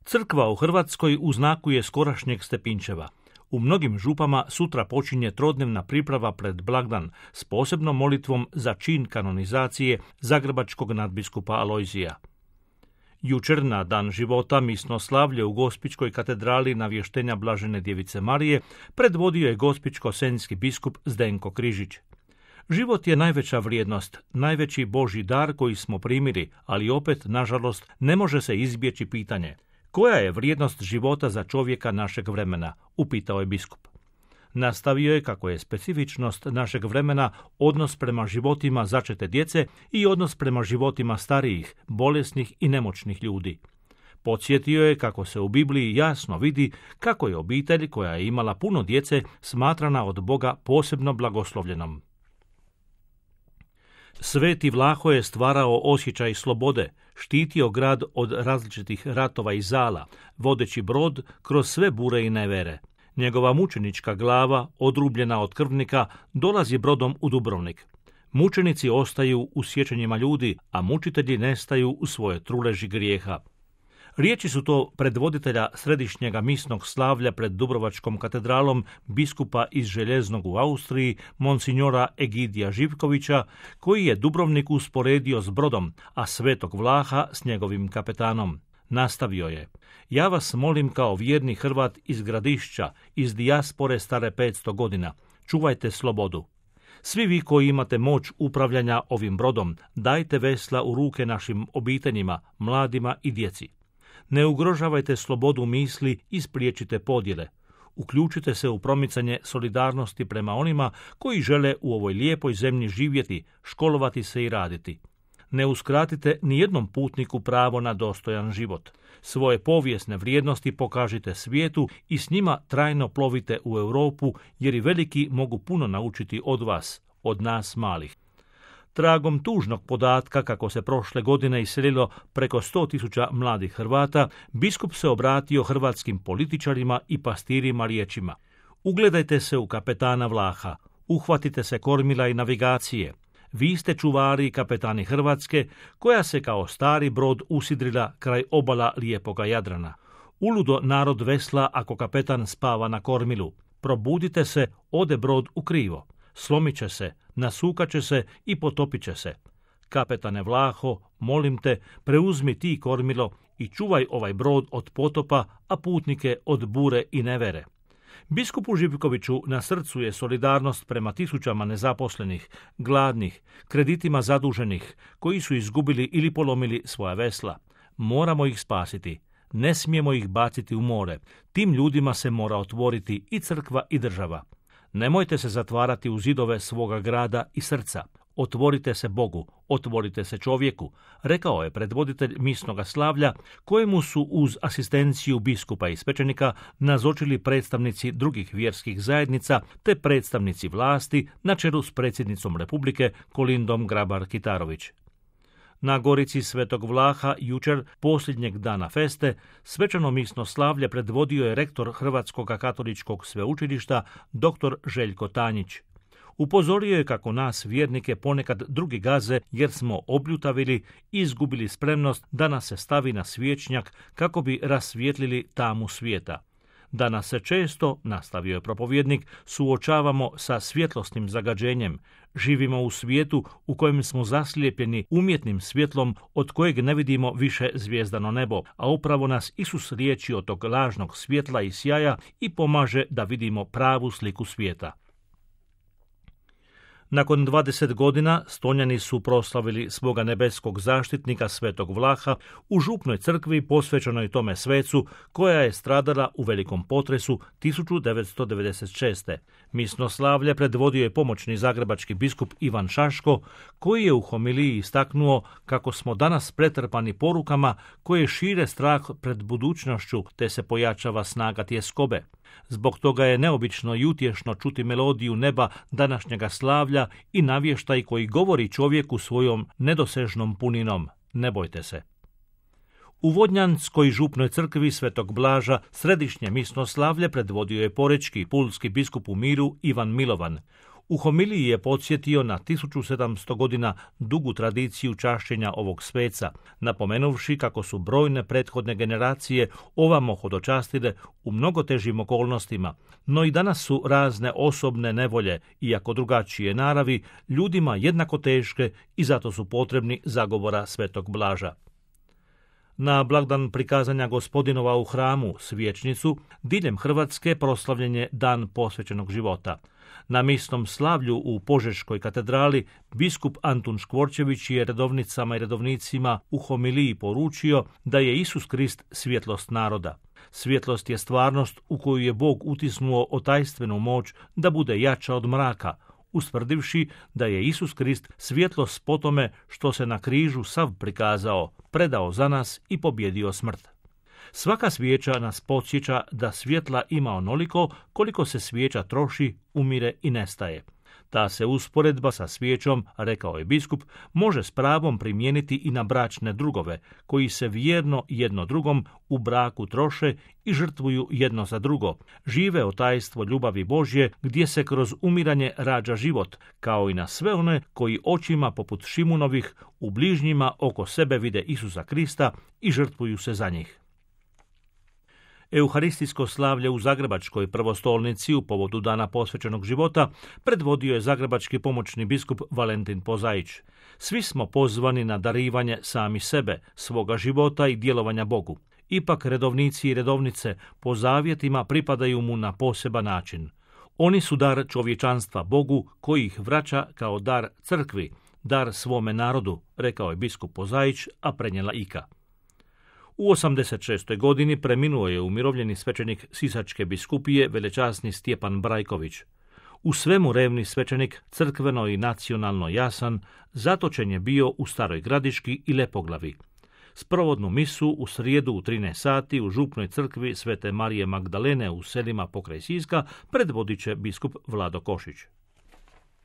Crkva u Hrvatskoj u znaku je skorašnjeg Stepinčeva. U mnogim župama sutra počinje trodnevna priprava pred blagdan s posebnom molitvom za čin kanonizacije zagrebačkog nadbiskupa Alojzija. Jučer na dan života misnoslavlje u Gospićkoj katedrali Navještenja Blažene Djevice Marije predvodio je gospićko-senjski biskup Zdenko Križić. Život je najveća vrijednost, najveći Božji dar koji smo primili, ali opet, nažalost, ne može se izbjeći pitanje: koja je vrijednost života za čovjeka našeg vremena? Upitao je biskup. Nastavio je kako je specifičnost našeg vremena odnos prema životima začete djece i odnos prema životima starijih, bolesnih i nemoćnih ljudi. Podsjetio je kako se u Bibliji jasno vidi kako je obitelj koja je imala puno djece smatrana od Boga posebno blagoslovljenom. Sveti Vlaho je stvarao osjećaj slobode, štitio grad od različitih ratova i zala, vodeći brod kroz sve bure i nevere. Njegova mučenička glava, odrubljena od krvnika, dolazi brodom u Dubrovnik. Mučenici ostaju u sjećanjima ljudi, a mučitelji nestaju u svoje truleži grijeha. Riječi su to predvoditelja središnjega misnog slavlja pred Dubrovačkom katedralom biskupa iz Željeznog u Austriji, monsignora Egidija Živkovića, koji je Dubrovnik usporedio s brodom, a Svetog Vlaha s njegovim kapetanom. Nastavio je: ja vas molim kao vjerni Hrvat iz Gradišća, iz dijaspore stare 500 godina, čuvajte slobodu. Svi vi koji imate moć upravljanja ovim brodom, dajte vesla u ruke našim obiteljima, mladima i djeci. Ne ugrožavajte slobodu misli i spriječite podjele. Uključite se u promicanje solidarnosti prema onima koji žele u ovoj lijepoj zemlji živjeti, školovati se i raditi. Ne uskratite ni jednom putniku pravo na dostojan život. Svoje povijesne vrijednosti pokažite svijetu i s njima trajno plovite u Europu, jer i veliki mogu puno naučiti od vas, od nas malih. Tragom tužnog podatka kako se prošle godine iselilo preko 100.000 mladih Hrvata, biskup se obratio hrvatskim političarima i pastirima riječima: ugledajte se u kapetana Vlaha, uhvatite se kormila i navigacije. Vi ste čuvari i kapetani Hrvatske, koja se kao stari brod usidrila kraj obala lijepoga Jadrana. Uludo narod vesla ako kapetan spava na kormilu. Probudite se, ode brod u krivo. Slomit će se, nasukat će se i potopit će se. Kapetane Vlaho, molim te, preuzmi ti kormilo i čuvaj ovaj brod od potopa, a putnike od bure i nevere. Biskupu Živkoviću na srcu je solidarnost prema tisućama nezaposlenih, gladnih, kreditima zaduženih, koji su izgubili ili polomili svoja vesla. Moramo ih spasiti. Ne smijemo ih baciti u more. Tim ljudima se mora otvoriti i crkva i država. Nemojte se zatvarati u zidove svoga grada i srca. Otvorite se Bogu, otvorite se čovjeku, rekao je predvoditelj misnoga slavlja, kojemu su uz asistenciju biskupa i svećenika nazočili predstavnici drugih vjerskih zajednica te predstavnici vlasti na čelu s predsjednicom Republike Kolindom Grabar-Kitarović. Na Gorici Svetog Vlaha jučer, posljednjeg dana feste, svečano misno slavlje predvodio je rektor Hrvatskog katoličkog sveučilišta dr. Željko Tanjić. Upozorio je kako nas vjernike ponekad drugi gaze jer smo obljutavili i izgubili spremnost da nas se stavi na svječnjak kako bi rasvijetlili tamu svijeta. Danas se često, nastavio je propovjednik, suočavamo sa svjetlosnim zagađenjem. Živimo u svijetu u kojem smo zaslijepljeni umjetnim svjetlom od kojeg ne vidimo više zvijezdano nebo, a upravo nas Isus liječi od tog lažnog svjetla i sjaja i pomaže da vidimo pravu sliku svijeta. Nakon 20 godina Stonjani su proslavili svoga nebeskog zaštitnika Svetog Vlaha u župnoj crkvi posvećenoj tome svecu, koja je stradala u velikom potresu 1996. Misno slavlje predvodio je pomoćni zagrebački biskup Ivan Šaško, koji je u homiliji istaknuo kako smo danas pretrpani porukama koje šire strah pred budućnošću te se pojačava snaga tjeskobe. Zbog toga je neobično i utješno čuti melodiju neba današnjega slavlja i navještaj koji govori čovjeku svojom nedosežnom puninom: ne bojte se. U Vodnjanskoj župnoj crkvi Svetog Blaža središnje misno slavlje predvodio je porečki i pulski biskup u miru Ivan Milovan. U homiliji je podsjetio na 1700 godina dugu tradiciju čašćenja ovog sveca, napomenuvši kako su brojne prethodne generacije ovamo hodočastile u mnogo težim okolnostima, no i danas su razne osobne nevolje, iako drugačije naravi, ljudima jednako teške i zato su potrebni zagovora Svetog Blaža. Na blagdan prikazanja Gospodinova u hramu, Svječnicu, diljem Hrvatske proslavljen je Dan posvećenog života. Na misnom slavlju u Požeškoj katedrali biskup Antun Škvorčević je redovnicama i redovnicima u homiliji poručio da je Isus Krist svjetlost naroda. Svjetlost je stvarnost u koju je Bog utisnuo otajstvenu moć da bude jača od mraka, ustvrdivši da je Isus Krist svjetlost po tome što se na križu sav prikazao, predao za nas i pobjedio smrt. Svaka svijeća nas podsjeća da svjetla ima onoliko koliko se svijeća troši, umire i nestaje. Ta se usporedba sa svijećom, rekao je biskup, može s pravom primijeniti i na bračne drugove, koji se vjerno jedno drugom u braku troše i žrtvuju jedno za drugo. Žive otajstvo ljubavi Božje, gdje se kroz umiranje rađa život, kao i na sve one koji očima poput Šimunovih u bližnjima oko sebe vide Isusa Krista i žrtvuju se za njih. Euharistijsko slavlje u Zagrebačkoj prvostolnici u povodu Dana posvećenog života predvodio je zagrebački pomoćni biskup Valentin Pozaić. Svi smo pozvani na darivanje sami sebe, svoga života i djelovanja Bogu. Ipak redovnici i redovnice po zavjetima pripadaju mu na poseban način. Oni su dar čovječanstva Bogu koji ih vraća kao dar crkvi, dar svome narodu, rekao je biskup Pozaić, a prenijela Ika. U 86. godini preminuo je umirovljeni svećenik Sisačke biskupije velečasni Stjepan Brajković. U svemu revni svećenik, crkveno i nacionalno jasan, zatočen je bio u Staroj Gradiški i Lepoglavi. Sprovodnu misu u srijedu u 13 sati u župnoj crkvi Svete Marije Magdalene u selima pokraj Siska predvodit će biskup Vlado Košić.